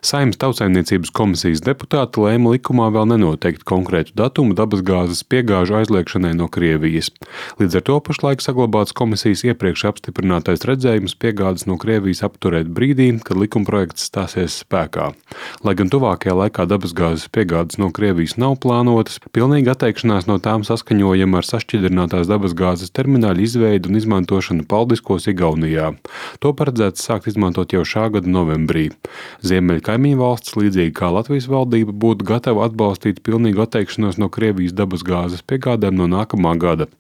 Saeimas Tautsaimniecības komisijas deputāti lēma likumā vēl nenoteikt konkrētu datumu dabasgāzes piegāžu aizliegšanai no Krievijas. Līdz ar to pašlaik saglabāts komisijas iepriekš apstiprinātais redzējums piegādes no Krievijas apturēt brīdī, kad likumprojekts stāsies spēkā. Lai gan tuvākajā laikā dabasgāzes piegādes no Krievijas nav plānotas, pilnīga atteikšanās no tām saskaņojama ar sašķidrinātās dabasgāzes termināļu izveidu un izmantošanu Paldiskos Igaunijā. To paredzēts sākt izmantot jau šā gada novembrī. Ziemeļu kaimiņu valsts, līdzīgi kā Latvijas valdība, būtu gatava atbalstīt pilnīgu atteikšanos no Krievijas dabasgāzes piegādēm no nākamā gada.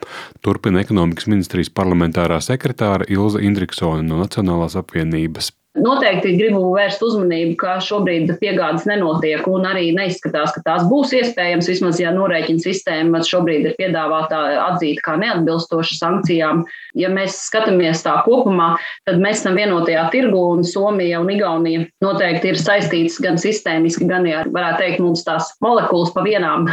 Turpina ekonomikas ministrijas parlamentārā sekretāre Ilze Indriksone no Nacionālās apvienības. Noteikti gribu vērst uzmanību, ka šobrīd piegādes nenotiek un arī neizskatās, ka tās būs iespējams, vismaz ja norēķina sistēma šobrīd ir piedāvāta atzīt kā neatbilstoša sankcijām. Ja mēs skatāmies tā kopumā, tad mēs esam vienotajā tirgu un Somija un Igaunija noteikti ir saistītas gan sistēmiski, gan, ja varētu teikt, mums tās molekulas pa vieniem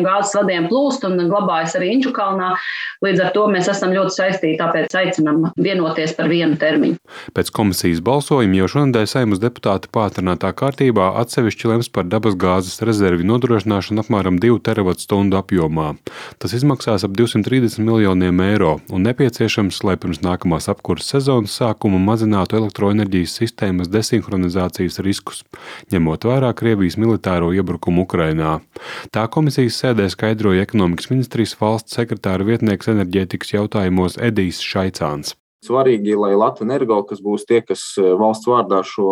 gāzes vadiem plūst un glabājas arī Inčukalnā. Līdz ar to mēs esam ļoti saistīti, tāpēc aicinam vienoties par vienu termiņu. Pēc komisijas balsojuma jau šonedēļ Saeimas deputāti pātrinātā kārtībā atsevišķi lems par dabasgāzes rezervi nodrošināšanu apmēram 2 terawatstundu apjomā. Tas izmaksās ap 230 miljoniem eiro un nepieciešams, lai pirms nākamās apkurses sezonas sākuma mazinātu elektroenerģijas sistēmas desinhronizācijas riskus, ņemot vērā Krievijas militāro iebrukumu Ukrainā. Tā komisijas sēdē skaidroja ekonomikas ministrijas valsts sekretāra vietnieks enerģētikas jautājumos Edijs Šaicāns. Svarīgi, lai Latvenergo, kas būs tie, kas valsts vārdā šo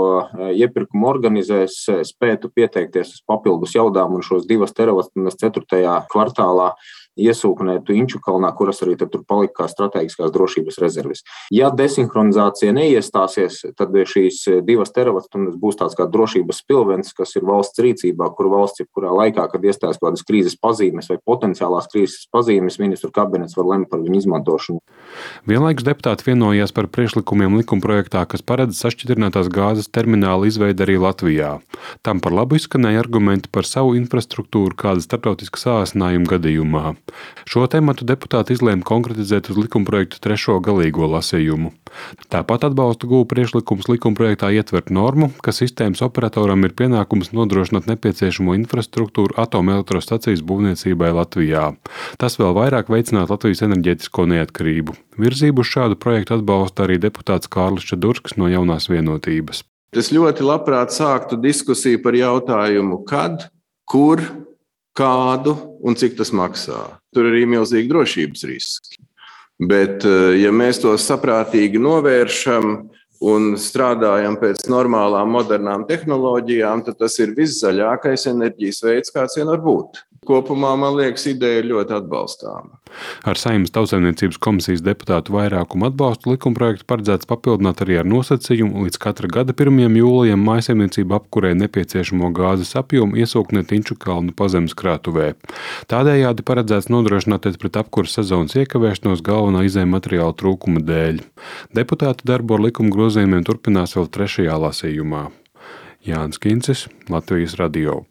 iepirkumu organizēs, spētu pieteikties uz papildus jaudām un šos 2 terawatstundas 4. kvartālā iesūknētu Inčukalnā, kuras arī tur palika kā strateģiskās drošības rezerves. Ja desinhronizācija neiestāsies, tad šīs 2 terawatstundas būs tāds kā drošības spilvens, kas ir valsts rīcībā, kur valsts jebkurā laikā, kad iestājas kādas krīzes pazīmes vai potenciālās krīzes pazīmes, ministru kabinets var lemt par viņu izmantošanu. Vienlaikus deputāti vienojās par priekšlikumiem likumprojektā, kas paredz sašķidrinātās gāzes terminālu izveidi arī Latvijā. Tam par labu izskanēja argumenti par savu infrastruktūru kāda starptautiska sāsinājuma gadījumā. Šo tematu deputāti izlēma konkretizēt uz likumprojektu 3. galīgo lasījumu. Tāpat atbalstu guva priekšlikums likumprojektā ietvert normu, ka sistēmas operatoram ir pienākums nodrošināt nepieciešamo infrastruktūru atomelektrostacijas būvniecībai Latvijā. Tas vēl vairāk veicinātu Latvijas enerģētisko neatkarību. Virzību uz šādu projektu atbalsta arī deputāts Kārlis Čadurskas no Jaunās vienotības. Es ļoti labprāt sāktu diskusiju par jautājumu, kad, kur, kādu un cik tas maksā. Tur arī milzīgi drošības riski. Bet, ja mēs to saprātīgi novēršam un strādājam pēc normālām, modernām tehnoloģijām, tad tas ir viszaļākais enerģijas veids, kāds vien var būt. Kopumā, man liekas, ideja ir ļoti atbalstāma. Ar Saeimas Tautsaimniecības komisijas deputātu vairākumu atbalstu likumprojektu paredzēts papildināt arī ar nosacījumu līdz katra gada 1. jūlijam mājsaimniecību apkurē nepieciešamo gāzes apjomu iesūknēt Inčukalnu pazemes krātuvē. Tādējādi paredzēts nodrošināties pret apkuras sezonas iekavēšanos galvenā izējmateriāla trūkuma dēļ. Deputāti darbu ar likuma grozījumiem turpinās vēl 3. lasījumā. Jānis Kincis, Latvijas radio.